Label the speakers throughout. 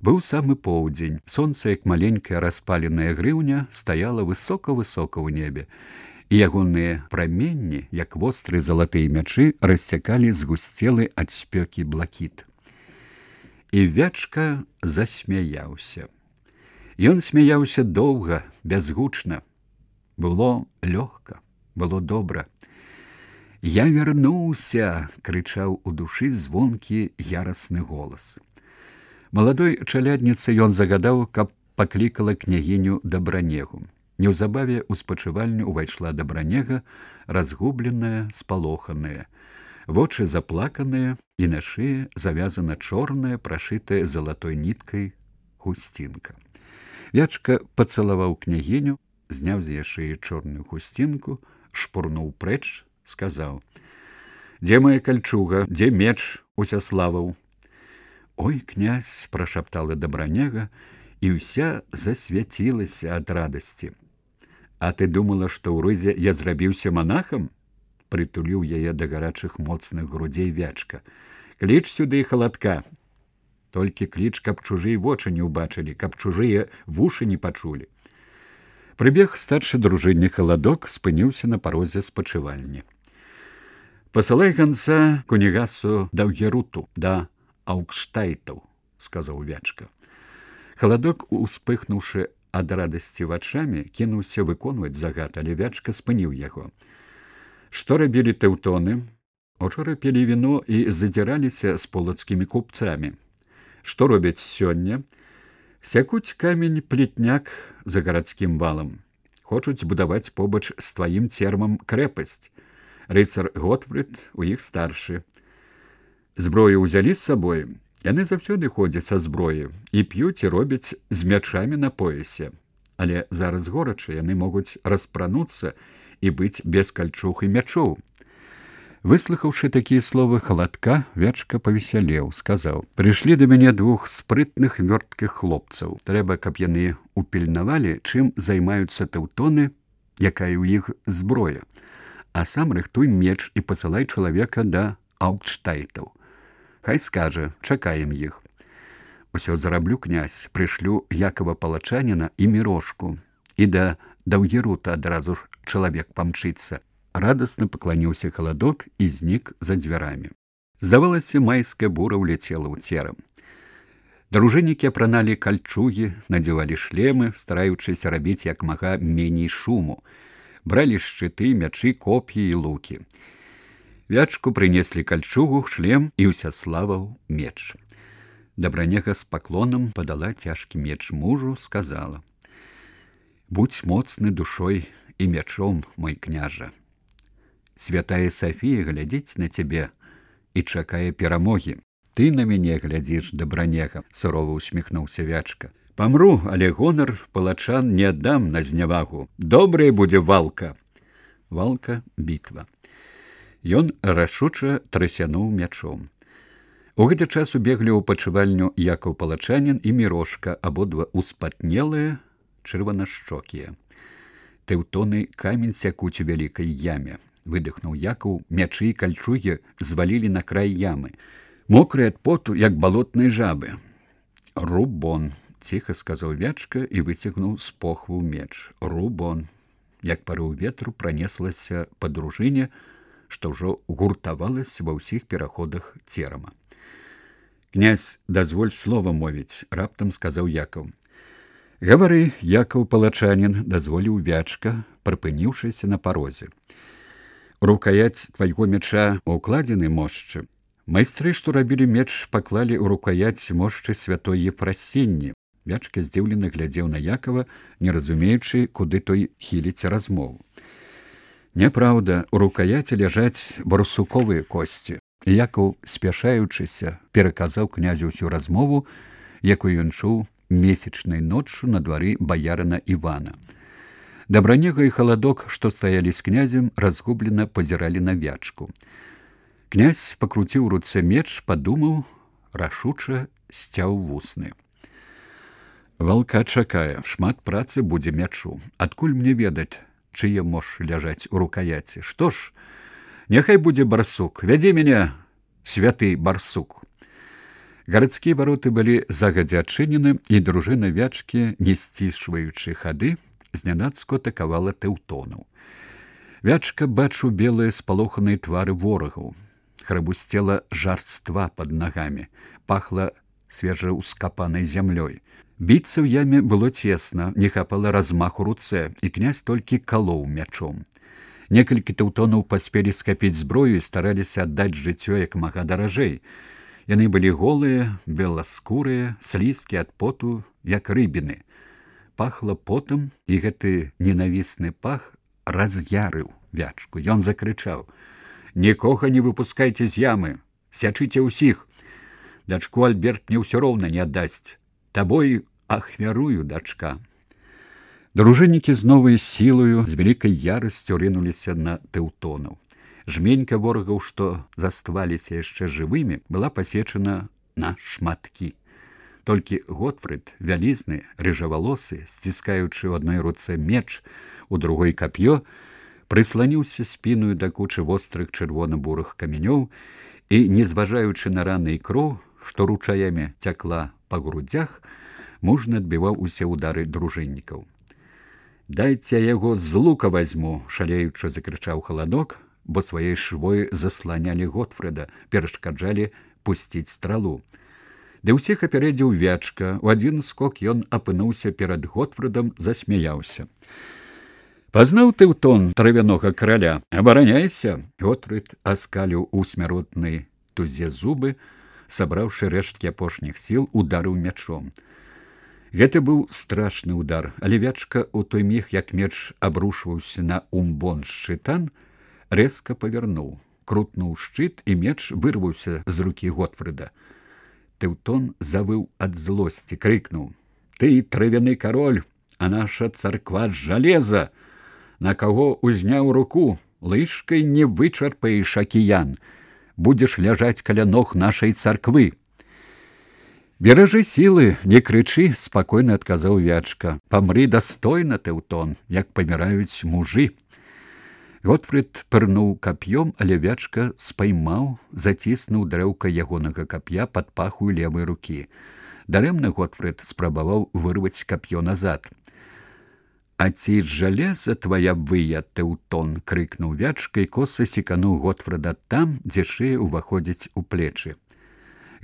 Speaker 1: Быў самы поўдзень. Сонца, як маленькая распаленая грыўня, стаяла высока-высока ў небе, і ягоныя праменні, як вострыя залатыя мячы, рассякалі згусцелы ад спёкі блакіт. І Вячка засмяяўся. Ён смяяўся доўга, бязгучна. Было лёгка, было добра. «Я вярнуўся!» — крычаў у душы звонкі ярасны голас. Маладой чалядніцы ён загадаў, каб паклікала княгіню Дабранегу. Неўзабаве ў спачывальню ўвайшла Дабранега, разгубленая, спалоханая. Вочы заплаканыя, і на шыі завязана чорная, прашытая залатой ніткай хусцінка. Вячка пацалаваў княгіню, зняў з яе шыі чорную хусцінку, шпурнуў прэч, сказаў: «Дзе моя кальчуга, дзе меч Усяславаў?» «Ой, князь!» — прошаптала Дабранега, і ўся засвяцілася ад радасці. «А ты думала, што ў рызе я зрабіўся манахам?» — прытуліў яе да гарачых моцных грудзей Вячка. «Кліч сюды халадка. Толькі кліч, каб чужыя вочы не ўбачылі, каб чужыя вушы не пачулі». Прыбег старшы дружыннік Халадок, спыніўся на парозе спачывальні. «Пасылай ганца кунігасу Даўгеруту, да Аукштайтаў», — сказаў Вячка. Халадок, успыхнуўшы ад радасці вачамі, кінуўся выконваць загад, але Вячка спыніў яго. «Што рабілі тэўтоны? Учора пілі віно і задзіраліся з полацкімі купцамі. Што робяць сёння? Сякуць камень-плетняк за гарадскім валам. Хочуць будаваць побач з тваім цермам крэпасць. Рыцар Готфрыд у іх старшы. Зброю ўзялі з сабой. Яны заўсёды ходзяць са зброі і п'юць і робяць з мячамі на поясе. Але зараз горача, яны могуць распрануцца і быць без кальчуг і мячоў». Выслухаўшы такія словы Халадка, Вячка павесялеў, сказаў: «Прыйшлі да мяне двух спрытных вёрткіх хлопцаў. Трэба, каб яны упільнавалі, чым займаюцца тэўтоны, якая ў іх зброя. А сам рыхтуй меч і пасылай чалавека да Аукштайтаў. Хай скажа, чакаем іх». «Усё зараблю, князь, прышлю Якова Палачаніна і Мірошку. І да Даўгерута адразу ж чалавек памчыцца». Радасна пакланіўся Халадок і знік за дзвярамі. Здавалася, майская бура ўляцела ў церам. Дружыннікі апраналі кальчугі, надзявалі шлемы, стараючыся рабіць як мага меней шуму. Бралі шчыты, мячы, коп'і і лукі. Вячку прынеслі кальчугу, шлем і Усяславаў меч. Дабранега з паклонам падала цяжкі меч мужу, сказала: «Будзь моцны душой і мячом, мой княжа. Святая Сафія глядзіць на цябе і чакае перамогі. Ты на мяне глядзіш, Дабранега», — сурова усміхнуўся Вячка. «Памру, але гонар палачан не аддам на знявагу. Добрая будзе валка». Валка — бітва. Ён рашуча трасянуў мячом. У гэты час убеглі ў пачывальню Якаў Палачанін і Мірошка, абодва успатнелыя, чырванашчокія. «Тэўтоны камень сякуць у вялікай яме», — выдыхнуў Якаў. Мячы і кальчугі звалілі на край ямы. Мокрыя ад поту, як балотныя жабы. «Рубон», — ціха сказаў Вячка і выцягнуў з похву меч. «Рубон». Як парыў ветру пранеслася па дружыне, што ўжо гуртавалася ва ўсіх пераходах церама. «Князь, дазволь слова мовіць», — раптам сказаў Якаў. «Гавары, Якаў Палачанін», — дазволіў Вячка, прыпыніўшыся на парозе. «Рукаяць твайго мяча укладзены мошчы. Майстры, што рабілі меч, паклалі ў рукаяць мошчы святой Ефрасінні». Вячка здзіўлена глядзеў на Якава, не разумеючы, куды той хіліць размову. «Няпраўда, у рукаяці ляжаць барсуковыя косці». Якаў, спяшаючыся, пераказаў князю ўсю размову, якую ён чуў месячнай ноччу на двары баярына Івана. Дабранега і Халадок, што стаялі з князем, разгублена пазіралі на Вячку. Князь пакруціў у руцэ меч, падумаў, рашуча сцяў вусны. «Валка чакае, шмат працы будзе мячу. Адкуль мне ведаць, чые мошчы ляжаць у рукаяці? Што ж, няхай будзе барсук. Вядзі мяне, святы барсук». Гарадскія вароты былі загадзя адчынены, і дружына Вячкі, не сцішваючы хады, знянацку атакавала тэўтонаў. Вячка бачыў белыя спалоханыя твары ворагаў. Храбусцела жарства пад нагамі, пахла свежаўскапанай зямлёй. Біцца ў яме было цесна, не хапала размаху руцэ, і князь толькі калоў мячом. Некалькі тэўтонаў паспелі скапіць зброю і стараліся аддаць жыццё як мага даражэй. Яны былі голыя, беласкурыя, слізкія ад поту, як рыбіны. Пахла потам, і гэты ненавісны пах раз'ярыў Вячку. Ён закрычаў: «Нікога не выпускайце з ямы, сячыце ўсіх. Дачку Альберт мне ўсё роўна не аддасць. Табой ахвярую, дачка». Дружыннікі з новай сілаю, з вялікай ярасцю рынуліся на тэўтонаў. Жменька ворагаў, што застваліся яшчэ жывымі, была пасечана на шматкі. Толькі Готфрыд, вялізны, рыжавалосы, сціскаючы ў адной руцэ меч, у другой кап'ё, прысланіўся спіною да кучы вострых чырвона-бурых камянёў і, не зважаючы на раны і кроў, што ручаямі цякла па грудзях, мужна адбіваў усе ўдары дружыннікаў. «Дайце яго з лука вазьму!» — шалеючы закрычаў Халадок, бо сваёй швой засланялі Готфрыда, перашкаджалі пусціць стралу. Ды ўсіх апярэдзіў Вячка. У адзін скок ён апынуўся перад Готфрыдам, засмяяўся. «Пазнаў тэўтон травянога караля? Абараняйся!» Готфрыд аскаліў у смяротнай тузе зубы, сабраўшы рэшткі апошніх сіл, ударыў мячом. Гэта быў страшны удар, але Вячка у той міг, як меч абрушваўся на умбон шчытан, рэзка павярнуў, крутнуў шчыт, і меч вырваўся з рукі Готфрыда. Тэўтон завыў ад злосці, крыкнуў: «Ты травяны кароль, а наша царква з жалеза! На каго узняў руку? Лыжкай не вычарпаеш акіян. Будзеш ляжаць каля ног нашай царквы». «Беражы сілы, не крычы», — спакойна адказаў Вячка. «Памры дастойна, тэўтон, як паміраюць мужы». Готфрыд пырнуў кап'ём, але Вячка спаймаў, заціснуў дрэўка ягонага кап'я пад паху левай рукі. Дарэмна Готфрыд спрабаваў вырваць кап'ё назад. «А ці жалеза твая выя, тэўтон!» — крыкнуў Вячка і коса секануў Готфрыда там, дзе шыя ўваходзіць у плечы.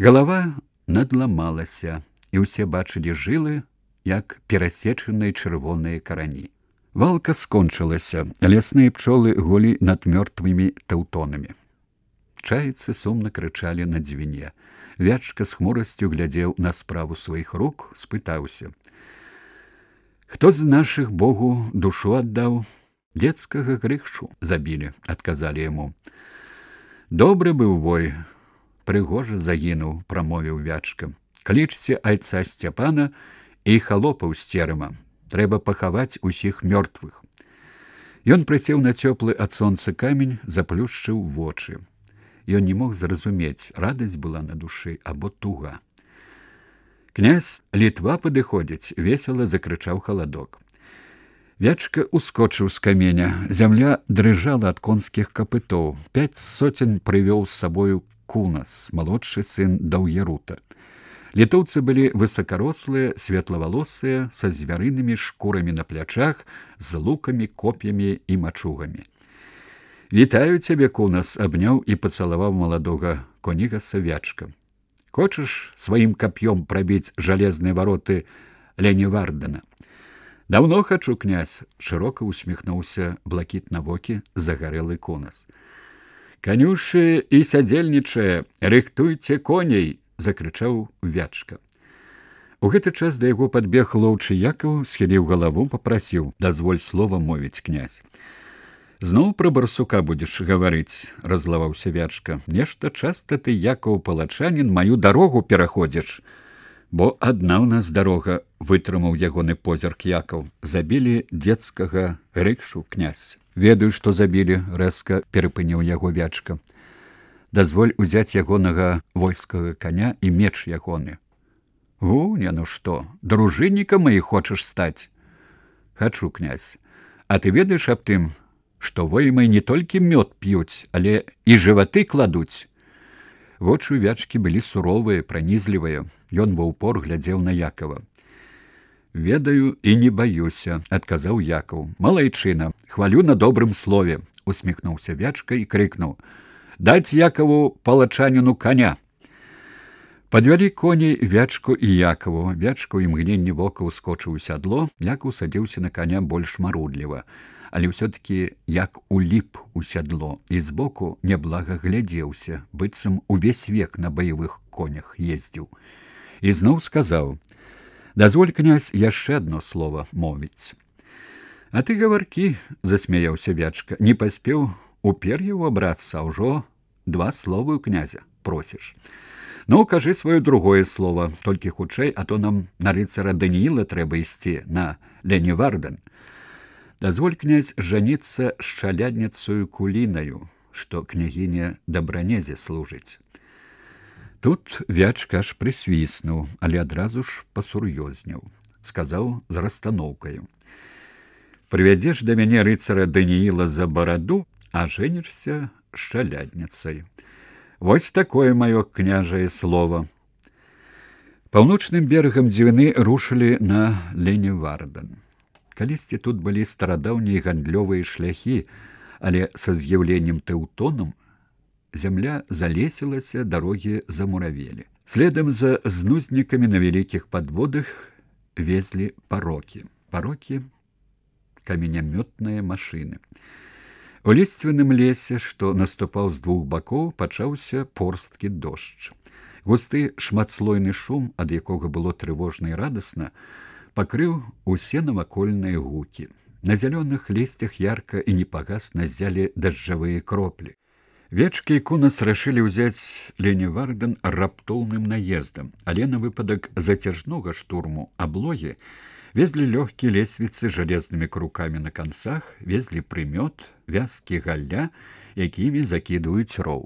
Speaker 1: Галава надламалася, і ўсе бачылі жылы, як перасечаныя чырвоныя карані. Валка скончылася, лясныя пчолы гулі над мёртвымі тэўтонамі. Чайцы сумна крычалі на дзвіне. Вячка з хмурасцю глядзеў на справу сваіх рук, спытаўся: «Хто з нашых Богу душу аддаў?» «Дзецкага Грышу забілі», — адказалі яму. «Добры быў вой, прыгожа загінуў», — прамовіў Вячка. «Клічце айца Сцяпана і халопаў з церема. Трэба пахаваць усіх мёртвых». Ён прысеў на цёплы ад сонца камень, заплюшчыў вочы. Ён не мог зразумець, радасць была на душы або туга. «Князь, Літва падыходзіць!» — весела закрычаў Халадок. Вячка ускочыў з каменя. Зямля дрыжала ад конскіх капытоў. 5 сотен прывёў з сабою Кунас, малодшы сын Даўгерута. Літоўцы былі высакарослыя, светлавалосыя, са звярынымі шкурамі на плячах, з лукамі, коп'ямі і мачугамі. «Вітаю цябе, Кунас!» — абняў і пацалаваў маладога конігаса Вячка. «Хочаш сваім кап'ём прабіць жалезныя вароты Ленівардена?» «Даўно хачу, князь!» — шырока усміхнуўся блакітнавокі загарэлы Кунас. «Канюшы і сядзельнічае, рыхтуйце коней!» — закрычаў Вячка. У гэты час да яго падбег лоўчы Якаў, схіліў галаву, папрасіў: «Дазволь слова мовіць, князь». «Зноў пра барсука будзеш гаварыць?» — разлаваўся Вячка. «Нешта часта ты, Якаў палачанін, маю дарогу пераходзіш». «Бо адна ў нас дарога», — вытрымаў ягоны позірк Якаў. «Забілі дзецкага Грышу, князь». «Ведаю, што забілі», — рэзка перапыніў яго Вячка. «Дазволь узяць ягонага войскага коня і меч ягоны». «Гуня, ну што, дружыннікам маіх хочаш стаць?» «Хачу, князь. А ты ведаеш аб тым, што воімы не толькі мёд п'юць, але і жываты кладуць?» Вочы вячкі былі суровыя, пранізлівыя. Ён ва ўпор глядзеў на Якова. «Ведаю і не баюся», — адказаў Якаў. «Малайчына, хвалю на добрым слове», — усміхнуўся вячка і крыкнуў. «Даць Якаву палачаніну коня». Падвялі коней вячку і Якаву. Вячка ў імгненні вока ўскочыў у сядло, Якаў садзіўся на коня больш марудліва, але ўсё-такі як уліп у сядло і збоку няблага глядзеўся, быццам увесь век на баявых конях ездзіў. І зноў сказаў: «Дазволь, князь, яшчэ адно слово мовіць». «А ты гаваркі», — засмяяўся вячка, — «не паспеў у пер'е ўабрацца, а ўжо 2 словы ў князя просіш. Ну, кажы сваё другое слово, толькі хутчэй, а то нам на рыцара Данііла трэба ісці, на Леніварден. Дазволь, князь, жаніцца з чалядніцаю Кулінаю, што княгіня Дабранезе служыць». Тут вячка аж прысвіснуў, але адразу ж пасур'ёзніў. Сказаў з расстаноўкаю: «Прывядзеш да мяне рыцара Данііла за бараду, а жэнішся з чалядніцай. Вось такое маё княжае слово». Паўночным берагам Двіны рушылі на Леніварден. Калісьці тут былі старадаўнія гандлёвыя шляхі, але са з'яўленнем тэўтонам зямля залесілася, дарогі замуравелі. Следам за знузнікамі на вялікіх падводах везлі парокі. Парокі — каменямётныя машыны. У ліствяным лесе, што наступаў з 2 бакоў, пачаўся порсткі дождж. Густы шматслойны шум, ад якога было трывожна і радасна, пакрыў усе навакольныя гукі. На зялёных лісцях ярка і непагасна ззялі дажджавыя кроплі. Вечкі і кунац рашылі ўзяць Леніварден раптоўным наездам, але на выпадак зацяжнога штурму аблогі везлі лёгкія лесвіцы з жалезнымі крукамі на канцах, везлі прымёт, вязкі галля, якімі закідваюць роў.